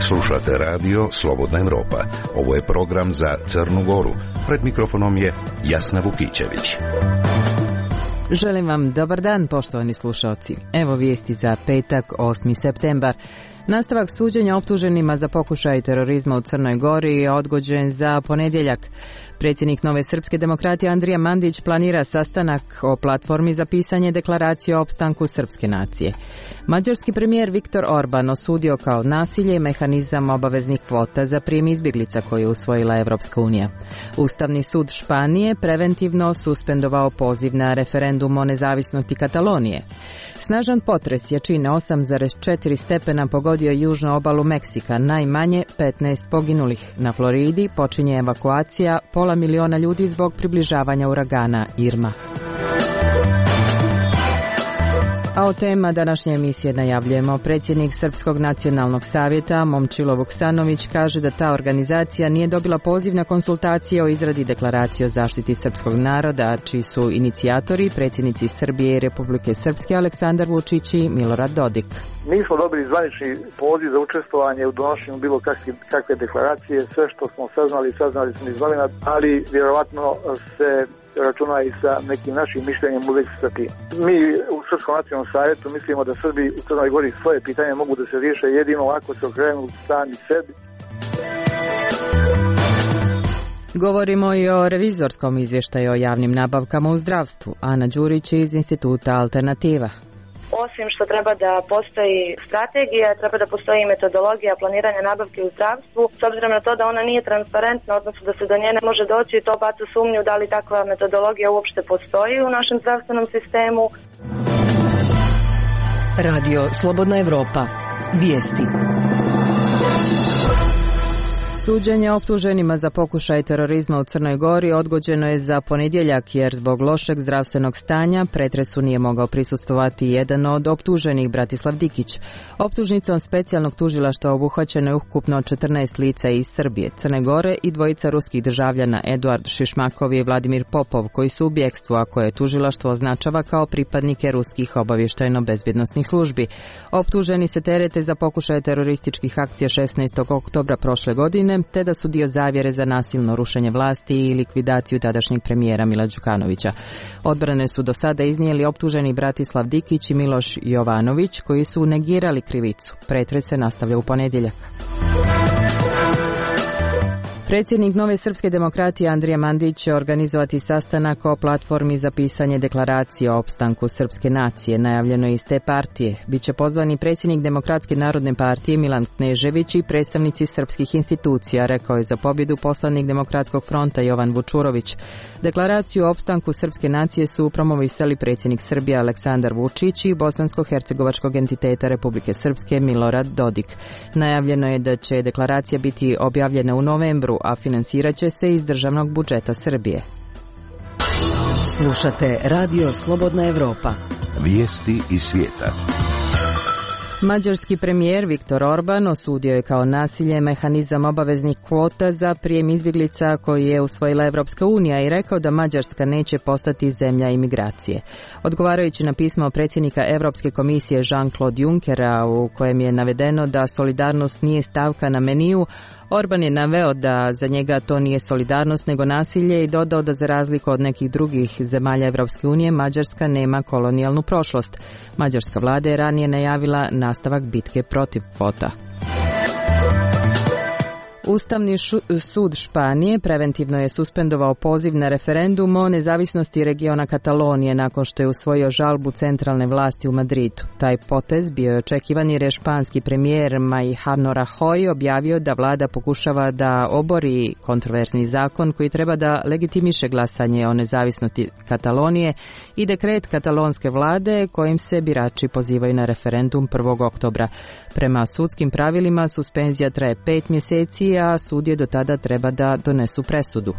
Slušate radio Slobodna Evropa. Ovo je program za Crnu Goru. Pred mikrofonom je Jasna Vukićević. Želim vam dobar dan, poštovani slušalci. Evo vijesti za petak, 8. septembar. Nastavak suđenja optuženima za pokušaj terorizma u Crnoj Gori je odgođen za ponedjeljak. Predsjednik Nove srpske demokratije Andrija Mandić planira sastanak o platformi za pisanje deklaracije o opstanku srpske nacije. Mađarski premijer Viktor Orban osudio kao nasilje mehanizam obaveznih kvota za prijem izbjeglica koje je usvojila Evropska unija. Ustavni sud Španije preventivno suspendovao poziv na referendum o nezavisnosti Katalonije. Snažan potres jačine 8,4 stepena pogodio južnu obalu Meksika, najmanje 15 poginulih. Na Floridi počinje evakuacija pola miliona ljudi zbog približavanja uragana Irma. A o tema današnje emisije najavljujemo. Predsjednik Srpskog nacionalnog savjeta Momčilo Vuksanović kaže da ta organizacija nije dobila poziv na konsultacije o izradi deklaracije o zaštiti srpskog naroda, čiji su inicijatori predsjednici Srbije i Republike Srpske Aleksandar Vučić i Milorad Dodik. Nismo dobili zvanični poziv za učestvovanje u donošenju bilo kakve deklaracije. Sve što smo saznali smo iz novina, ali vjerovatno se računa i sa nekim našim mišljenjem u vezi sa tim. Mi u Srpskom nacionalnom savjetu mislimo da Srbi u Crnoj Gori svoje pitanje mogu da se riješe jedino ako se okrenu sami sebi. Govorimo i o revizorskom izvještaju o javnim nabavkama u zdravstvu. Ana Đurić iz Instituta Alternativa. Osim što treba da postoji strategija, treba da postoji metodologija planiranja nabavke u zdravstvu. S obzirom na to da ona nije transparentna, odnosno da se do nje ne može doći, to baca sumnju da li takva metodologija uopšte postoji u našem zdravstvenom sistemu. Radio Slobodna Evropa. Vijesti. Suđenje optuženima za pokušaj terorizma u Crnoj Gori odgođeno je za ponedjeljak jer zbog lošeg zdravstvenog stanja pretresu nije mogao prisustvovati jedan od optuženih, Bratislav Dikić. Optužnicom specijalnog tužilaštva obuhvaćeno je ukupno 14 lica iz Srbije, Crne Gore i dvojica ruskih državljana Eduard Šišmakov i Vladimir Popov koji su u bjekstvu, a koje tužilaštvo označava kao pripadnike ruskih obavještajno-bezbjednosnih službi. Optuženi se terete za pokušaj terorističkih akcija 16. oktobra prošle godine, te da su dio zavjere za nasilno rušenje vlasti i likvidaciju tadašnjeg premijera Mila Đukanovića. Odbrane su do sada iznijeli optuženi Bratislav Dikić i Miloš Jovanović, koji su negirali krivicu. Pretres se nastavlja u ponedjeljak. Predsjednik Nove srpske demokratije Andrija Mandić će organizovati sastanak o platformi za pisanje deklaracije o opstanku srpske nacije, najavljeno je iz te partije. Biće pozvani predsjednik Demokratske narodne partije Milan Knežević i predstavnici srpskih institucija, rekao je za pobjedu poslanik Demokratskog fronta Jovan Vučurović. Deklaraciju o opstanku srpske nacije su promovisali predsjednik Srbije Aleksandar Vučić i bosansko-hercegovačkog entiteta Republike Srpske Milorad Dodik. Najavljeno je da će deklaracija biti objavljena u novembru, a financirat će se iz državnog budžeta Srbije. Slušate Radio Slobodna Evropa. Vijesti iz svijeta. Mađarski premijer Viktor Orban osudio je kao nasilje mehanizam obaveznih kvota za prijem izbjeglica koji je usvojila Evropska unija i rekao da Mađarska neće postati zemlja imigracije. Odgovarajući na pismo predsjednika Europske komisije Jean-Claude Junckera u kojem je navedeno da solidarnost nije stavka na meniju, Orban je naveo da za njega to nije solidarnost nego nasilje i dodao da za razliku od nekih drugih zemalja Evropske unije Mađarska nema kolonijalnu prošlost. Mađarska vlada je ranije najavila nastavak bitke protiv kvota. Ustavni sud Španije preventivno je suspendovao poziv na referendum o nezavisnosti regiona Katalonije nakon što je usvojio žalbu centralne vlasti u Madridu. Taj potez bio je očekivan jer je španski premijer Mariano Rajoy objavio da vlada pokušava da obori kontroverzni zakon koji treba da legitimiše glasanje o nezavisnosti Katalonije i dekret katalonske vlade kojim se birači pozivaju na referendum 1. oktobra. Prema sudskim pravilima suspenzija traje 5 mjeseci, a sud je do tada treba da donesu presudu.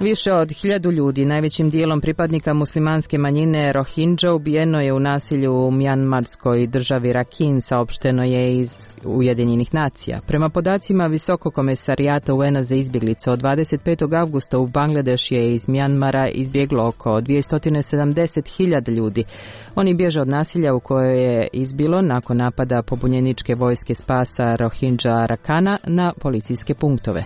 Više od 1000 ljudi, najvećim dijelom pripadnika muslimanske manjine Rohingya, ubijeno je u nasilju u mjanmarskoj državi Rakhine, saopšteno je iz Ujedinjenih nacija. Prema podacima Visokog komesarijata UN-a za izbjeglice, od 25. avgusta u Bangladeš je iz Mjanmara izbjeglo oko 270.000 ljudi. Oni bježe od nasilja u kojoj je izbilo nakon napada pobunjeničke vojske spasa Rohingya Arakkana na policijske punktove.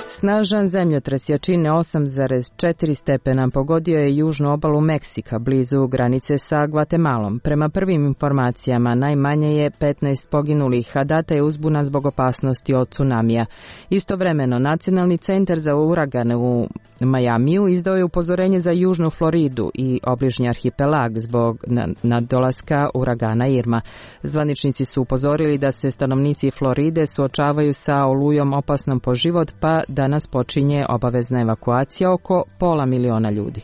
Snažan zemljotres jačine 8,4 stepena pogodio je južnu obalu Meksika, blizu granice sa Gvatemalom. Prema prvim informacijama najmanje je 15 poginulih, a data je uzbuna zbog opasnosti od tsunamija. Istovremeno, Nacionalni centar za uragane u Majamiju izdao je upozorenje za južnu Floridu i obližnji arhipelag zbog nadolaska uragana Irma. Zvaničnici su upozorili da se stanovnici Floride suočavaju sa olujom opasnom po život, pa danas počinje obavezna evakuacija oko 500.000 ljudi.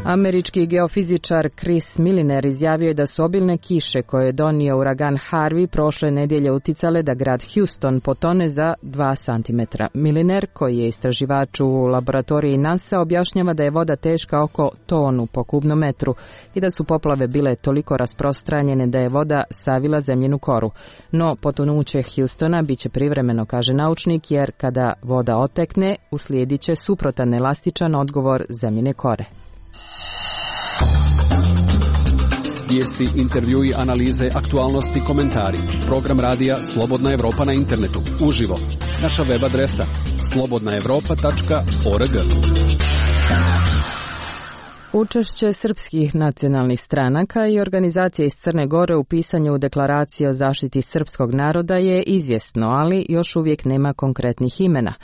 Američki geofizičar Chris Milliner izjavio je da su obilne kiše koje je donio uragan Harvey prošle nedjelje uticale da grad Houston potone za 2 cm. Milliner, koji je istraživač u laboratoriji NASA, objašnjava da je voda teška oko tonu po kubnom metru i da su poplave bile toliko rasprostranjene da je voda savila zemljinu koru. No, potonuće Houstona biće privremeno, kaže naučnik, jer kada voda otekne, uslijedit će suprotan elastičan odgovor zemljine kore. Vijesti, intervjui, analize, aktualnosti, komentari. Program radija Slobodna Evropa na internetu. Uživo. Naša web adresa slobodnaevropa.org. Učešće srpskih nacionalnih stranaka i organizacija iz Crne Gore u pisanju deklaracije o zaštiti srpskog naroda je izvjesno, ali još uvijek nema konkretnih imena.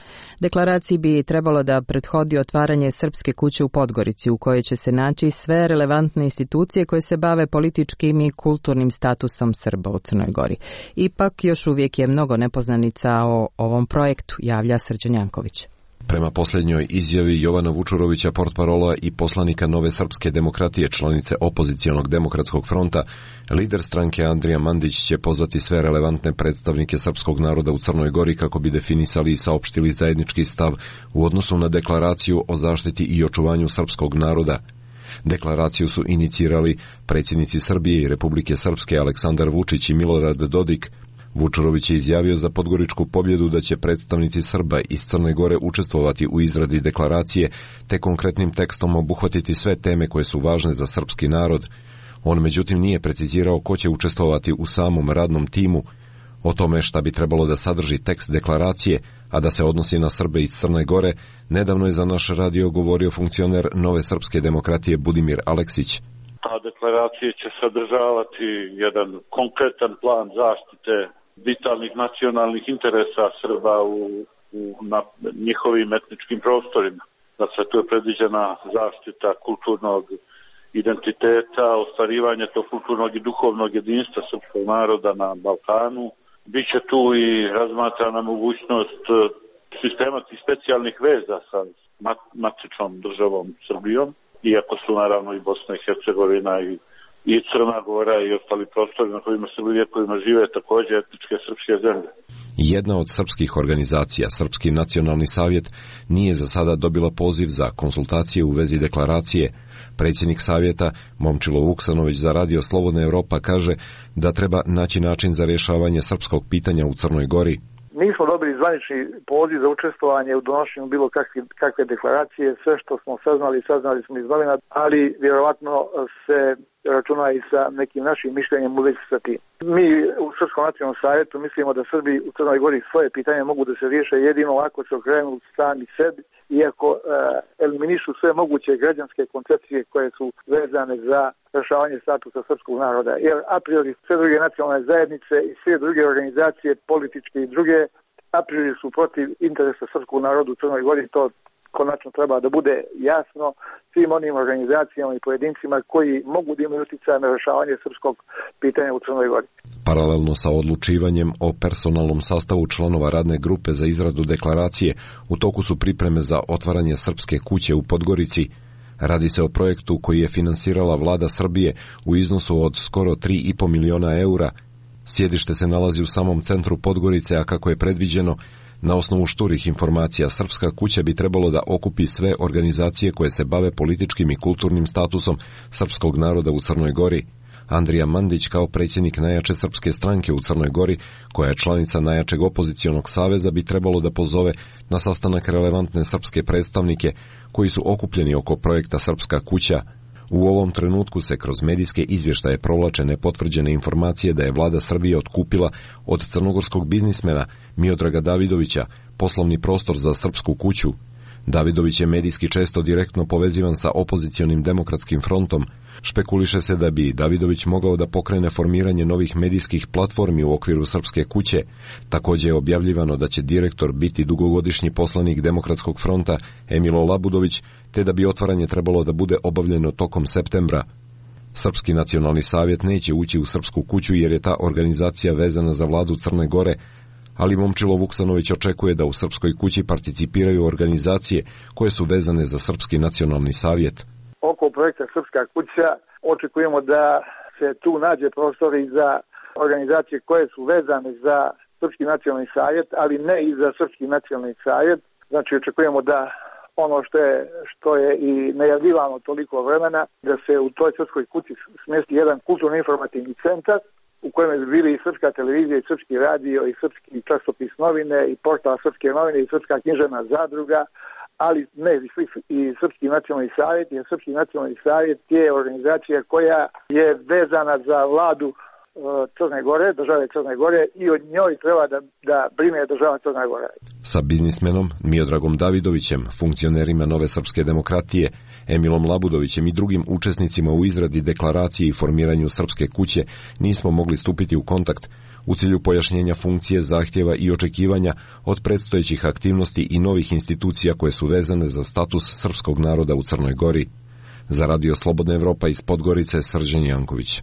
Deklaraciji bi trebalo da prethodi otvaranje Srpske kuće u Podgorici, u kojoj će se naći sve relevantne institucije koje se bave političkim i kulturnim statusom Srba u Crnoj Gori. Ipak još uvijek je mnogo nepoznanica o ovom projektu, javlja Srđan Janković. Prema posljednjoj izjavi Jovana Vučurovića, portparola i poslanika Nove srpske demokratije, članice opozicionog demokratskog fronta, lider stranke Andrija Mandić će pozvati sve relevantne predstavnike srpskog naroda u Crnoj Gori kako bi definisali i saopštili zajednički stav u odnosu na deklaraciju o zaštiti i očuvanju srpskog naroda. Deklaraciju su inicirali predsjednici Srbije i Republike Srpske Aleksandar Vučić i Milorad Dodik. Vučurović je izjavio za Podgoričku pobjedu da će predstavnici Srba iz Crne Gore učestvovati u izradi deklaracije te konkretnim tekstom obuhvatiti sve teme koje su važne za srpski narod. On međutim nije precizirao ko će učestvovati u samom radnom timu. O tome šta bi trebalo da sadrži tekst deklaracije, a da se odnosi na Srbe iz Crne Gore, nedavno je za naš radio govorio funkcioner Nove srpske demokratije Budimir Aleksić. Ta deklaracija će sadržavati jedan konkretan plan zaštite vitalnih nacionalnih interesa Srba na njihovim etničkim prostorima. Dakle, tu je predviđena zaštita kulturnog identiteta, ostvarivanje tog kulturnog i duhovnog jedinstva srpskog naroda na Balkanu. Biće tu i razmatrana mogućnost sistematskih specijalnih veza sa matičnom državom Srbijom, iako su naravno i Bosna i Hercegovina i Crna Gora i ostali prostori na kojima se vjekovima žive također etničke srpske zemlje. Jedna od srpskih organizacija, Srpski nacionalni savjet, nije za sada dobila poziv za konsultacije u vezi deklaracije. Predsjednik savjeta, Momčilo Vuksanović, za radio Slobodna Evropa kaže da treba naći način za rješavanje srpskog pitanja u Crnoj Gori. Nismo dobili zvanični poziv za učestvovanje u donošenju bilo kakve deklaracije. Sve što smo saznali smo iz novina, ali vjerovatno se računa i sa nekim našim mišljenjem u vezi sa tim. Mi u Srpskom nacionalnom savjetu mislimo da Srbi u Crnoj Gori svoje pitanje mogu da se riješe jedino ako se okrenu sami sebi, iako eliminišu sve moguće građanske koncepcije koje su vezane za rješavanje statusa srpskog naroda. Jer a priori sve druge nacionalne zajednice i sve druge organizacije, političke i druge, a priori su protiv interesa srpskog naroda u Crnoj Gori. To konačno treba da bude jasno svim onim organizacijama i pojedincima koji mogu da imaju utjecaj na rješavanje srpskog pitanja u Crnoj Gori. Paralelno sa odlučivanjem o personalnom sastavu članova radne grupe za izradu deklaracije, u toku su pripreme za otvaranje Srpske kuće u Podgorici. Radi se o projektu koji je finansirala vlada Srbije u iznosu od skoro 3,5 miliona eura. Sjedište se nalazi u samom centru Podgorice, a kako je predviđeno, Na osnovu šturih informacija, Srpska kuća bi trebalo da okupi sve organizacije koje se bave političkim i kulturnim statusom srpskog naroda u Crnoj Gori. Andrija Mandić, kao predsjednik najjače srpske stranke u Crnoj Gori, koja je članica najjačeg opozicionog saveza, bi trebalo da pozove na sastanak relevantne srpske predstavnike koji su okupljeni oko projekta Srpska kuća. U ovom trenutku se kroz medijske izvještaje provlače nepotvrđene informacije da je vlada Srbije otkupila od crnogorskog biznismena Miodraga Davidovića poslovni prostor za Srpsku kuću. Davidović je medijski često direktno povezivan sa opozicionim demokratskim frontom. Špekuliše se da bi Davidović mogao da pokrene formiranje novih medijskih platformi u okviru Srpske kuće. Također je objavljivano da će direktor biti dugogodišnji poslanik Demokratskog fronta Emilo Labudović, te da bi otvaranje trebalo da bude obavljeno tokom septembra. Srpski nacionalni savjet neće ući u Srpsku kuću jer je ta organizacija vezana za vladu Crne Gore, ali Momčilo Vuksanović očekuje da u Srpskoj kući participiraju organizacije koje su vezane za Srpski nacionalni savjet. Oko projekta Srpska kuća očekujemo da se tu nađe prostor i za organizacije koje su vezane za Srpski nacionalni savjet, ali ne i za Srpski nacionalni savjet. Znači očekujemo da ono što je i najavljivano toliko vremena, da se u toj Srpskoj kući smjesti jedan kulturno-informativni centar u kojem bi bili i Srpska televizija, i Srpski radio, i Srpski časopis novine, i portal Srpske novine, i Srpska književna zadruga, ali ne i Srpski nacionalni savjet, jer Srpski nacionalni savjet je organizacija koja je vezana za vladu Crne Gore, države Crne Gore, i od njoj treba da brine država Crne Gore. Sa biznismenom Miodragom Davidovićem, funkcionerima Nove srpske demokratije, Emilom Labudovićem i drugim učesnicima u izradi deklaracije i formiranju Srpske kuće nismo mogli stupiti u kontakt u cilju pojašnjenja funkcije, zahtjeva i očekivanja od predstojećih aktivnosti i novih institucija koje su vezane za status srpskog naroda u Crnoj Gori. Za Radio Slobodna Evropa iz Podgorice, Srđan Janković.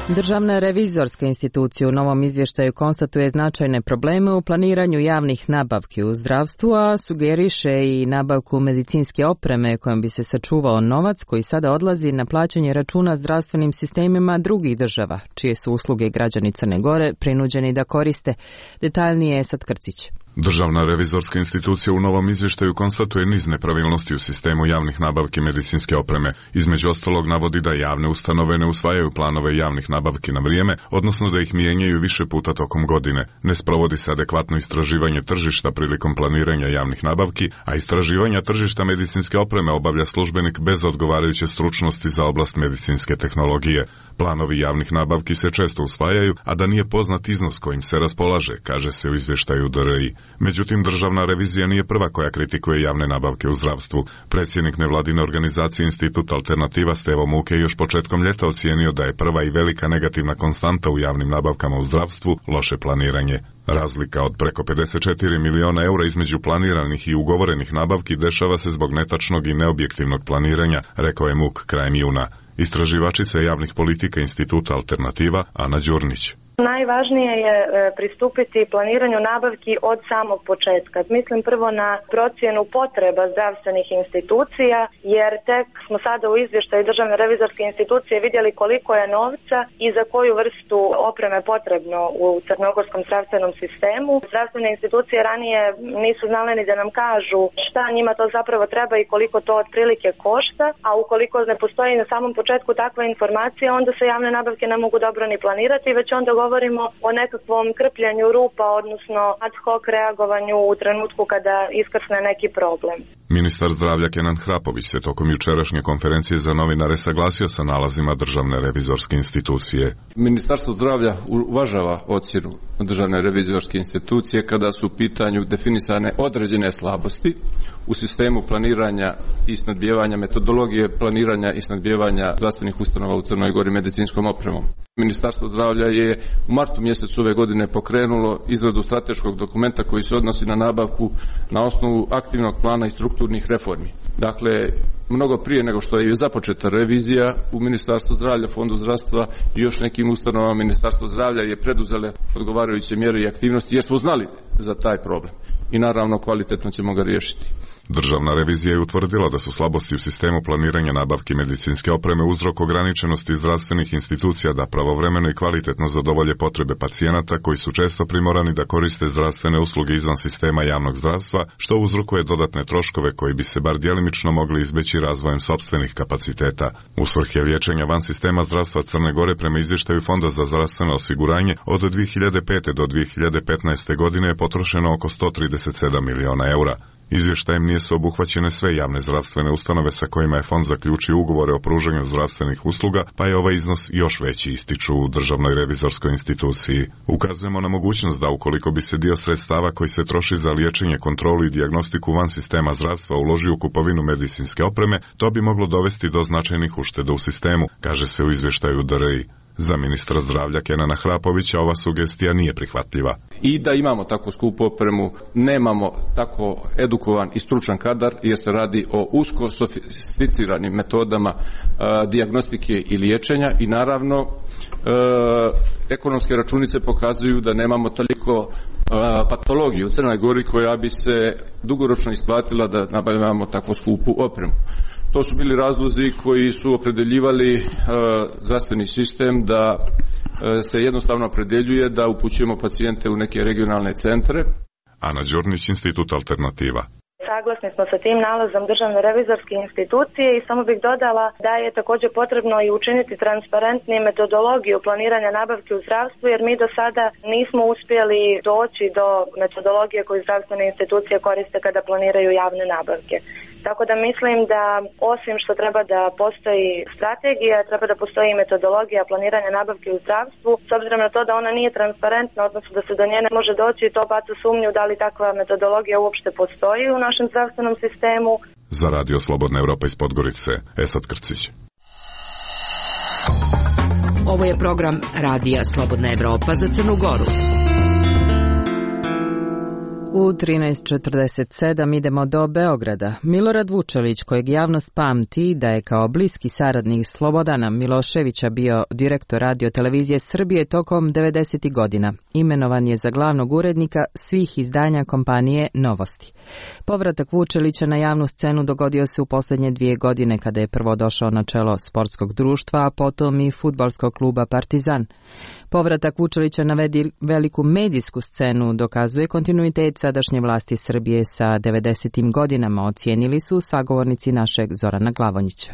Državna revizorska institucija u novom izvještaju konstatuje značajne probleme u planiranju javnih nabavki u zdravstvu, a sugeriše i nabavku medicinske opreme kojom bi se sačuvao novac koji sada odlazi na plaćanje računa zdravstvenim sistemima drugih država, čije su usluge građani Crne Gore prinuđeni da koriste. Detaljnije je Esad Krcić. Državna revizorska institucija u novom izvještaju konstatuje niz nepravilnosti u sistemu javnih nabavki medicinske opreme. Između ostalog navodi da javne ustanove ne usvajaju planove javnih nabavki na vrijeme, odnosno da ih mijenjaju više puta tokom godine. Ne sprovodi se adekvatno istraživanje tržišta prilikom planiranja javnih nabavki, a istraživanja tržišta medicinske opreme obavlja službenik bez odgovarajuće stručnosti za oblast medicinske tehnologije. Planovi javnih nabavki se često usvajaju, a da nije poznat iznos kojim se raspolaže, kaže se u izvještaju DRI. Međutim, državna revizija nije prva koja kritikuje javne nabavke u zdravstvu. Predsjednik nevladine organizacije Institut Alternativa Stevo Muke još početkom ljeta ocijenio da je prva i velika negativna konstanta u javnim nabavkama u zdravstvu loše planiranje. Razlika od preko 54 miliona eura između planiranih i ugovorenih nabavki dešava se zbog netačnog i neobjektivnog planiranja, rekao je Muk krajem juna. Istraživačica javnih politika Instituta Alternativa Ana Đurnić. Najvažnije je pristupiti planiranju nabavki od samog početka. Mislim prvo na procjenu potreba zdravstvenih institucija, jer tek smo sada u izvještaju Državne revizorske institucije vidjeli koliko je novca i za koju vrstu opreme potrebno u crnogorskom zdravstvenom sistemu. Zdravstvene institucije ranije nisu znale ni da nam kažu šta njima to zapravo treba i koliko to otprilike košta, a ukoliko ne postoji na samom početku takva informacija, onda se javne nabavke ne mogu dobro ni planirati, već onda govorimo o nekakvom krpljanju rupa, odnosno ad hoc reagovanju u trenutku kada iskrsne neki problem. Ministar zdravlja Kenan Hrapović se tokom jučerašnje konferencije za novinare saglasio sa nalazima Državne revizorske institucije. Ministarstvo zdravlja uvažava ocjenu Državne revizorske institucije kada su u pitanju definisane određene slabosti u sistemu planiranja i snadbijevanja, metodologije planiranja i snadbijevanja zdravstvenih ustanova u Crnoj Gori medicinskom opremom. Ministarstvo zdravlja je u martu mjesecu ove godine pokrenulo izradu strateškog dokumenta koji se odnosi na nabavku na osnovu aktivnog plana i strukturnih reformi. Dakle, mnogo prije nego što je započeta revizija u Ministarstvu zdravlja, Fondu zdravstva i još nekim ustanovama Ministarstvo zdravlja je preduzele odgovarajuće mjere i aktivnosti jer smo znali za taj problem i naravno kvalitetno ćemo ga riješiti. Državna revizija je utvrdila da su slabosti u sistemu planiranja nabavki medicinske opreme uzrok ograničenosti zdravstvenih institucija da pravovremeno i kvalitetno zadovolje potrebe pacijenata koji su često primorani da koriste zdravstvene usluge izvan sistema javnog zdravstva, što uzrokuje dodatne troškove koji bi se bar djelimično mogli izbeći razvojem sopstvenih kapaciteta. U svrhe liječenja van sistema zdravstva Crne Gore prema izvještaju Fonda za zdravstveno osiguranje od 2005. do 2015. godine je potrošeno oko 137 miliona eura. Izvještajem nisu obuhvaćene sve javne zdravstvene ustanove sa kojima je fond zaključio ugovore o pružanju zdravstvenih usluga, pa je ovaj iznos još veći, ističu u Državnoj revizorskoj instituciji. Ukazujemo na mogućnost da ukoliko bi se dio sredstava koji se troši za liječenje, kontrolu i dijagnostiku van sistema zdravstva uloži u kupovinu medicinske opreme, to bi moglo dovesti do značajnih ušteda u sistemu, kaže se u izvještaju DRI. Za ministra zdravlja Kenana Hrapovića ova sugestija nije prihvatljiva. I da imamo tako skupu opremu, nemamo tako edukovan i stručan kadar jer se radi o usko sofisticiranim metodama dijagnostike i liječenja i naravno ekonomske računice pokazuju da nemamo toliko patologiju u Crnoj Gori koja bi se dugoročno isplatila da nabavljamo tako skupu opremu. To su bili razlozi koji su opredeljivali zdravstveni sistem da se jednostavno opredeljuje da upućujemo pacijente u neke regionalne centre. Ana Đornić, Institut Alternativa. Saglasni smo sa tim nalazom Državne revizorske institucije i samo bih dodala da je također potrebno i učiniti transparentnije metodologiju planiranja nabavke u zdravstvu, jer mi do sada nismo uspjeli doći do metodologije koju zdravstvene institucije koriste kada planiraju javne nabavke. Tako da mislim da osim što treba da postoji strategija, treba da postoji i metodologija planiranja nabavke u zdravstvu, s obzirom na to da ona nije transparentna, odnosno da se do nje ne može doći i to baca sumnju da li takva metodologija uopšte postoji u našem zdravstvenom sistemu. Za Radio Slobodna Evropa iz Podgorice, Esad Krcić. Ovo je program Radija Slobodna Evropa za Crnu Goru. U 13:47 idemo do Beograda. Milorad Vučelić, kojeg javnost pamti da je kao bliski saradnik Slobodana Miloševića bio direktor Radio televizije Srbije tokom 90. godina, imenovan je za glavnog urednika svih izdanja kompanije Novosti. Povratak Vučelića na javnu scenu dogodio se u posljednje 2 godine kada je prvo došao na čelo sportskog društva, a potom i fudbalskog kluba Partizan. Povratak Vučelića na veliku medijsku scenu dokazuje kontinuitet sadašnje vlasti Srbije sa 90. godinama, ocijenili su sagovornici našeg Zorana Glavonjića.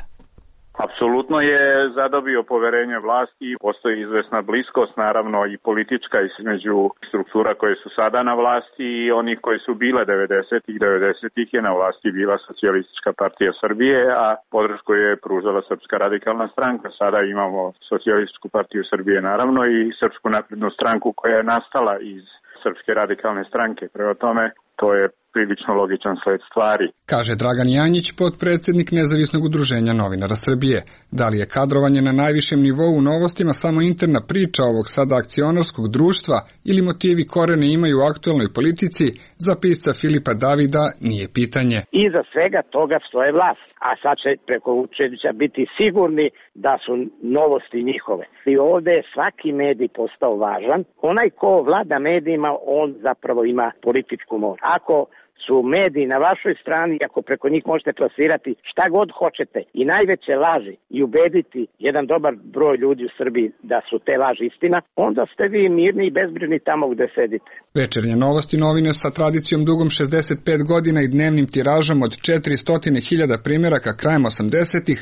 Apsolutno je zadobio poverenje vlasti, postoji izvesna bliskost, naravno i politička između struktura koje su sada na vlasti i onih koji su bile 90-ih je na vlasti bila Socijalistička partija Srbije, a podršku je pružala Srpska radikalna stranka. Sada imamo Socijalističku partiju Srbije naravno i Srpsku naprednu stranku koja je nastala iz Srpske radikalne stranke. Prema tome, to je prilično logičan sled stvari. Kaže Dragan Janjić, potpredsjednik Nezavisnog udruženja novinara Srbije. Da li je kadrovanje na najvišem nivou u Novostima samo interna priča ovog sada akcionarskog društva ili motivi korene imaju u aktualnoj politici, za pisca Filipa Davida nije pitanje. Iza svega toga stoje vlast, a sad će preko Vučevića biti sigurni da su Novosti njihove. I ovdje je svaki medij postao važan. Onaj ko vlada medijima, on zapravo ima političku moć. Ako su mediji na vašoj strani, ako preko njih možete plasirati šta god hoćete i najveće laži i ubediti jedan dobar broj ljudi u Srbiji da su te laži istina, onda ste vi mirni i bezbrižni tamo gde sedite. Večernje Novosti, novine sa tradicijom dugom 65 godina i dnevnim tiražom od 400.000 primjeraka krajem 80-ih,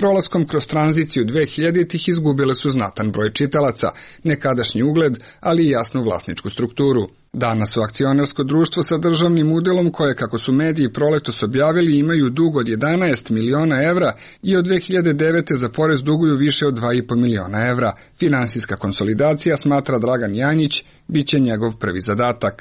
prolaskom kroz tranziciju 2000-ih izgubile su znatan broj čitalaca, nekadašnji ugled, ali i jasnu vlasničku strukturu. Danas su akcionarsko društvo sa državnim udelom koje, kako su mediji proletos objavili, imaju dug od 11 miliona evra i od 2009. za porez duguju više od 2,5 miliona evra. Finansijska konsolidacija, smatra Dragan Janjić, bit će njegov prvi zadatak.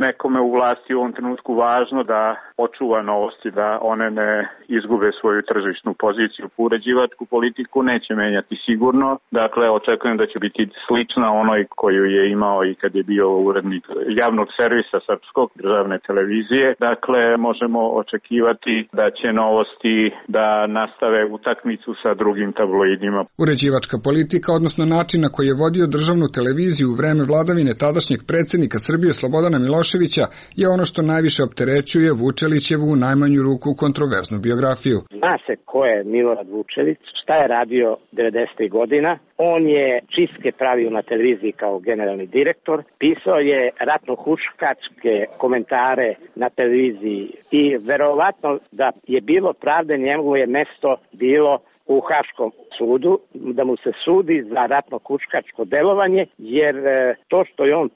Nekome u vlasti u ovom trenutku važno da očuva Novosti, da one ne izgube svoju tržišnu poziciju. Uređivačku politiku neće menjati sigurno. Dakle, očekujem da će biti slična onoj koju je imao i kad je bio urednik javnog servisa Srpskog državne televizije. Dakle, možemo očekivati da će Novosti da nastave utakmicu sa drugim tabloidima. Uređivačka politika, odnosno način na koji je vodio državnu televiziju u vreme vladavine tadašnjeg predsjednika Srbije Slobodana Miloševića, Miloševića je ono što najviše opterećuje Vučelićevu u najmanju ruku kontroverznu biografiju. Zna se ko je Milorad Vučelić, šta je radio 90. godina. On je čistke pravio na televiziji kao generalni direktor, pisao je ratno-huškačke komentare na televiziji i verovatno da je bilo pravde, njegovo je mesto bilo u Haškom sudu, da mu se sudi za ratno-huškačko delovanje, jer to što je on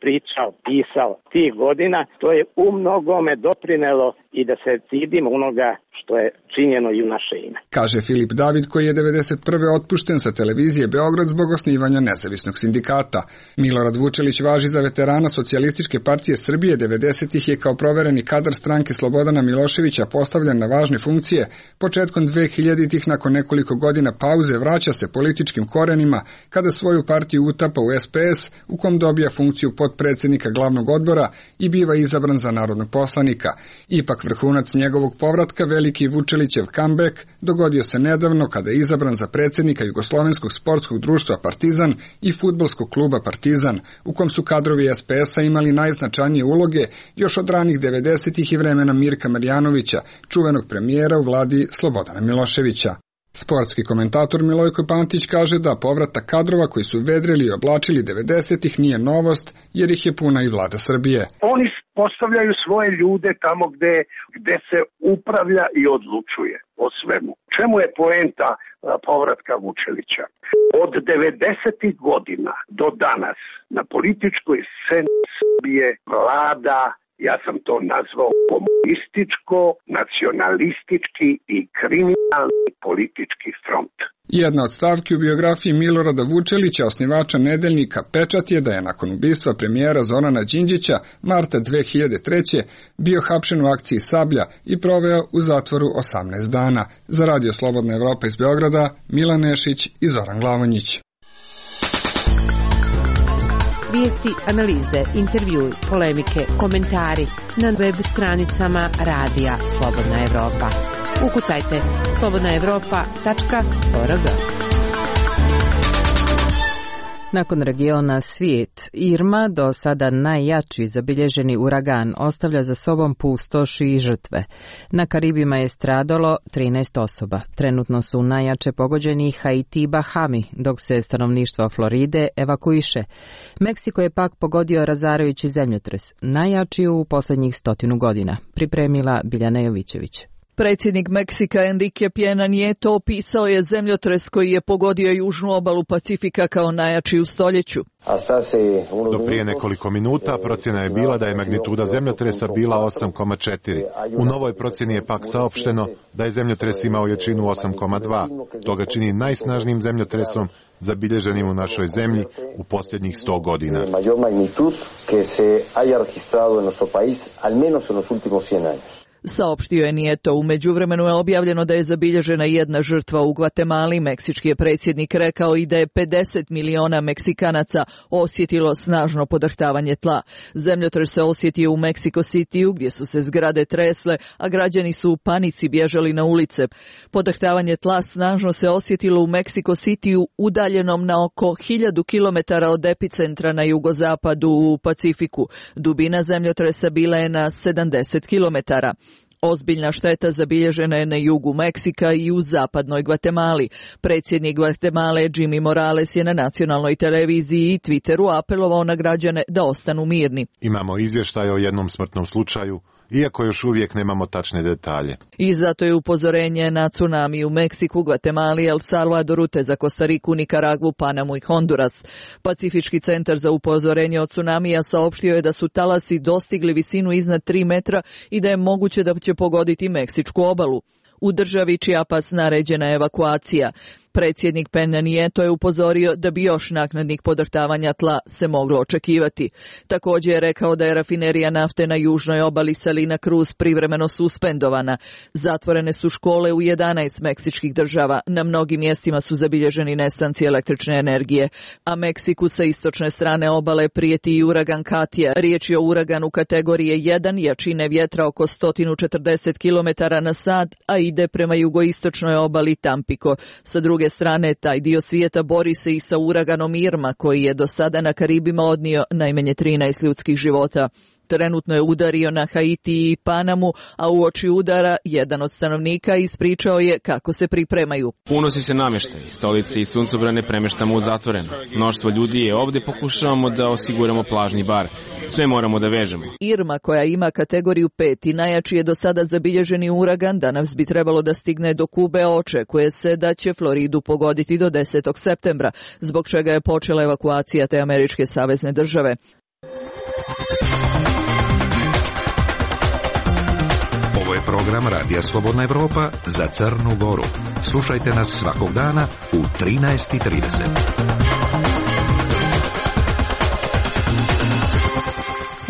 pisao tih godina, to je u mnogome doprinelo i da se stidimo onoga što je činjeno i u naše ime. Kaže Filip David, koji je 1991. otpušten sa televizije Beograd zbog osnivanja nezavisnog sindikata. Milorad Vučelić važi za veterana Socijalističke partije Srbije. 90-ih je kao provereni kadar stranke Slobodana Miloševića postavljen na važne funkcije. Početkom 2000-ih, nakon nekoliko godina pauze, vraća se političkim korenima kada svoju partiju utapa u SPS, u kom dobija funkciju potpredsjednika glavnog odbora i biva izabran za narodnog poslanika. Ipak vrhunac njegovog povratka, veliki Vučelićev comeback, dogodio se nedavno kada je izabran za predsjednika Jugoslovenskog sportskog društva Partizan i fudbalskog kluba Partizan, u kom su kadrovi SPS-a imali najznačajnije uloge još od ranih 90-ih i vremena Mirka Marjanovića, čuvenog premijera u vladi Slobodana Miloševića. Sportski komentator Milojko Pantić kaže da povratak kadrova koji su vedrili i oblačili 90-ih nije novost, jer ih je puna i vlada Srbije. Oni postavljaju svoje ljude tamo gde se upravlja i odlučuje o svemu. Čemu je poenta povratka Vučelića? Od 90-ih godina do danas na političkoj sceni Srbije vlada, ja sam to nazvao, komunističko, nacionalistički i kriminalni politički front. Jedna od stavki u biografiji Milorada Vučelića, osnivača nedeljnika Pečat, je da je nakon ubistva premijera Zorana Đinđića marta 2003. bio hapšen u akciji Sablja i proveo u zatvoru 18 dana. Za Radio Slobodna Evropa iz Beograda, Milan Nešić i Zoran Glavonjić. Vijesti, analize, intervjui, polemike, komentari na web stranicama Radija Slobodna Evropa. Ukucajte slobodnaevropa.org. Nakon regiona svijet, Irma, do sada najjači zabilježeni uragan, ostavlja za sobom pustoš i žrtve. Na Karibima je stradalo 13 osoba. Trenutno su najjače pogođeni Haiti i Bahami, dok se stanovništvo Floride evakuiše. Meksiko je pak pogodio razarajući zemljotres, najjači u posljednjih 100 godina. Pripremila Biljana Jovićević. Predsjednik Meksika Enrique Pena Nieto opisao je zemljotres koji je pogodio južnu obalu Pacifika kao najjači u stoljeću. Do prije nekoliko minuta procjena je bila da je magnituda zemljotresa bila 8,4. U novoj procjeni je pak saopšteno da je zemljotres imao jačinu 8,2. To ga čini najsnažnijim zemljotresom zabilježenim u našoj zemlji u posljednjih 100 godina. Saopštio je Nieto. U međuvremenu je objavljeno da je zabilježena jedna žrtva u Gvatemali. Meksički je predsjednik rekao i da je 50 miliona Meksikanaca osjetilo snažno podrhtavanje tla. Zemljotres se osjetio u Mexico Cityu, gdje su se zgrade tresle, a građani su u panici bježali na ulice. Podrhtavanje tla snažno se osjetilo u Mexico Cityu, udaljenom na oko 1000 km od epicentra na jugozapadu u Pacifiku. Dubina zemljotresa bila je na 70 km. Ozbiljna šteta zabilježena je na jugu Meksika i u zapadnoj Gvatemali. Predsjednik Gvatemale Jimmy Morales je na nacionalnoj televiziji i Twitteru apelovao na građane da ostanu mirni. Imamo izvještaj o jednom smrtnom slučaju, iako još uvijek nemamo tačne detalje. I zato je upozorenje na tsunami u Meksiku, Gvatemali, El Salvadoru, te za Kostariku, Nikaragvu, Panamu i Honduras. Pacifički centar za upozorenje od tsunamija saopštio je da su talasi dostigli visinu iznad 3 metra i da je moguće da će pogoditi Meksičku obalu. U državi Chiapas naređena je evakuacija. Predsjednik Peña Nieto je upozorio da bi još naknadnih podrhtavanja tla se moglo očekivati. Također je rekao da je rafinerija nafte na južnoj obali Salina Cruz privremeno suspendovana. Zatvorene su škole u 11 meksičkih država. Na mnogim mjestima su zabilježeni nestanci električne energije. A Meksiku sa istočne strane obale prijeti i uragan Katia. Riječ je o uraganu kategorije 1, jačine vjetra oko 140 km na sat, a ide prema jugoistočnoj obali Tampico. Sa druge strane, taj dio svijeta bori se i sa uraganom Irma, koji je do sada na Karibima odnio najmanje 13 ljudskih života. Trenutno je udario na Haiti i Panamu, a uoči udara jedan od stanovnika ispričao je kako se pripremaju. Unosi se namještaj, stolice i suncobrane premeštamo u zatvoreno. Mnoštvo ljudi je ovdje, pokušavamo da osiguramo plažni bar. Sve moramo da vežemo. Irma, koja ima kategoriju 5 i najjači je do sada zabilježeni uragan, danas bi trebalo da stigne do Kube, očekuje se da će Floridu pogoditi do 10. septembra, zbog čega je počela evakuacija te američke savezne države. Ovo je program Radija Slobodna Evropa za Crnu Goru. Slušajte nas svakog dana u 13:30.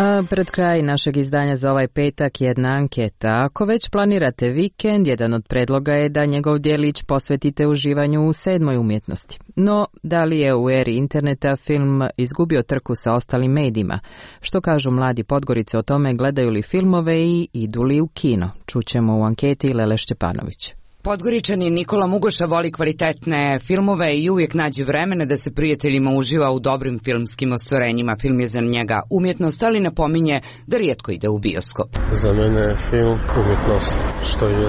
A pred kraj našeg izdanja za ovaj petak jedna anketa. Ako već planirate vikend, jedan od predloga je da njegov djelić posvetite uživanju u 7. umjetnosti. No, da li je u eri interneta film izgubio trku sa ostalim medijima? Što kažu mladi Podgorice o tome, gledaju li filmove i idu li u kino? Čućemo u anketi Lele Šćepanović. Podgoričanin Nikola Mugoša voli kvalitetne filmove i uvijek nađe vremena da se prijateljima uživa u dobrim filmskim ostvarenjima. Film je za njega umjetnost, ali napominje da rijetko ide u bioskop. Za mene je film umjetnost, što je.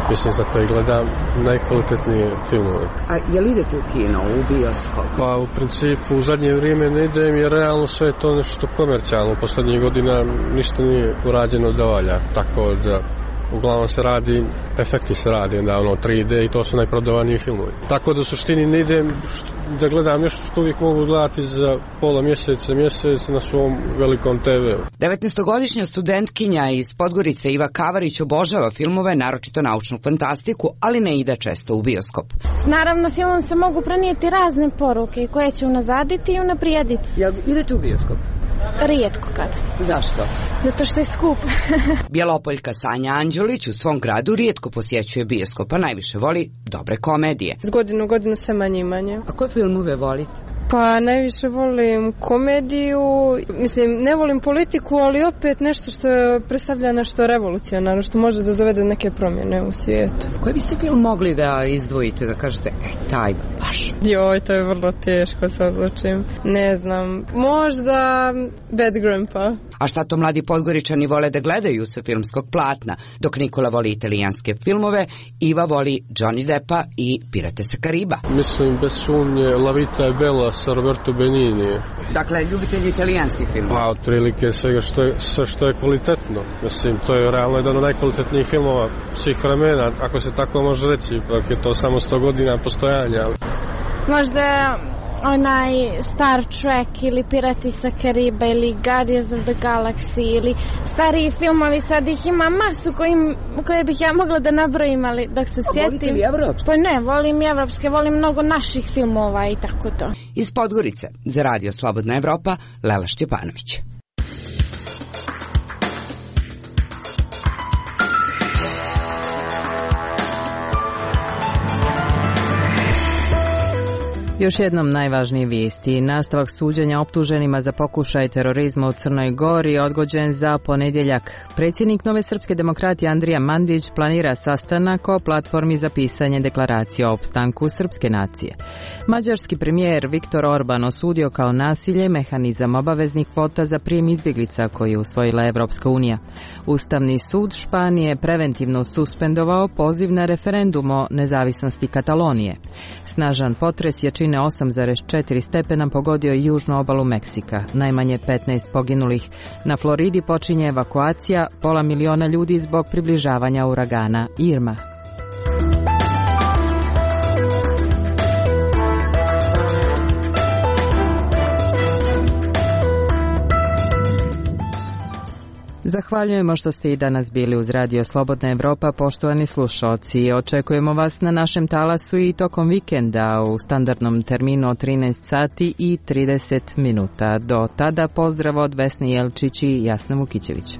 Mislim, zato i gledam najkvalitetnije filmove. A je li idete u kino, u bioskop? Pa u principu u zadnje vrijeme ne idem jer realno sve je to nešto komercijalno. U posljednjih godina ništa nije urađeno da valja, tako da uglavnom se radi, efekti se radi, onda 3D i to su najprodavaniji filmovi. Tako da u suštini ne idem da gledam nešto što uvijek mogu gledati za pola mjeseca, mjesec na svom velikom TV-u. 19-godišnja studentkinja iz Podgorice Iva Kavarić obožava filmove, naročito naučnu fantastiku, ali ne ide često u bioskop. Naravno, filmom se mogu prenijeti razne poruke koje će unazaditi i unaprijediti. Jel idete u bioskop? Rijetko kad. Zašto? Zato što je skup. Bjelopoljka Sanja Anđelić u svom gradu rijetko posjećuje bioskop, a najviše voli dobre komedije. Z godinu u godinu sve manje i manje. A koje filmove volite? Pa najviše volim komediju, mislim ne volim politiku, ali opet nešto što predstavlja nešto revolucionarno, što može da dovede neke promjene u svijetu. Koji biste film mogli da izdvojite, da kažete, taj baš? Joj, to je vrlo teško se odlučim. Ne znam, možda Bad Grandpa. A šta to mladi Podgoričani vole da gledaju sa filmskog platna? Dok Nikola voli italijanske filmove, Iva voli Johnny Deppa i Pirate sa Kariba. Mislim, bez sumnje, La Vita e Bella sa Roberto Benigni. Dakle, ljubitelji italijanskih filmova? Pa, otprilike svega što je kvalitetno. Mislim, to je realno jedan od najkvalitetnijih filmova svih vremena, ako se tako može reći, ipak je to samo 100 godina postojanja. Možda onaj Star Trek ili Pirati sa Kariba ili Guardians of the Galaxy ili stariji filmovi, sad ih ima masu koje bih ja mogla da nabrojim, ali dok se sjetim... Volite li evropske? Pa ne, volim evropske, volim mnogo naših filmova i tako to. Iz Podgorice, za Radio Slobodna Evropa, Lela Šćepanović. Još jednom najvažnije vijesti. Nastavak suđenja optuženima za pokušaj terorizma u Crnoj Gori odgođen za ponedjeljak. Predsjednik Nove srpske demokratije Andrija Mandić planira sastanak o platformi za pisanje deklaracije o opstanku srpske nacije. Mađarski premijer Viktor Orban osudio kao nasilje mehanizam obaveznih kvota za prijem izbjeglica koji je usvojila Evropska unija. Ustavni sud Španije preventivno suspendovao poziv na referendum o nezavisnosti Katalonije. Snažan potres jačine 8,4 stepena pogodio je južnu obalu Meksika. Najmanje 15 poginulih. Na Floridi počinje evakuacija 500.000 ljudi zbog približavanja uragana Irma. Zahvaljujemo što ste i danas bili uz Radio Slobodna Evropa, poštovani slušalci. Očekujemo vas na našem talasu i tokom vikenda u standardnom terminu od 13 sati i 30 minuta. Do tada pozdrav od Vesne Jelčić i Jasna Vukićević.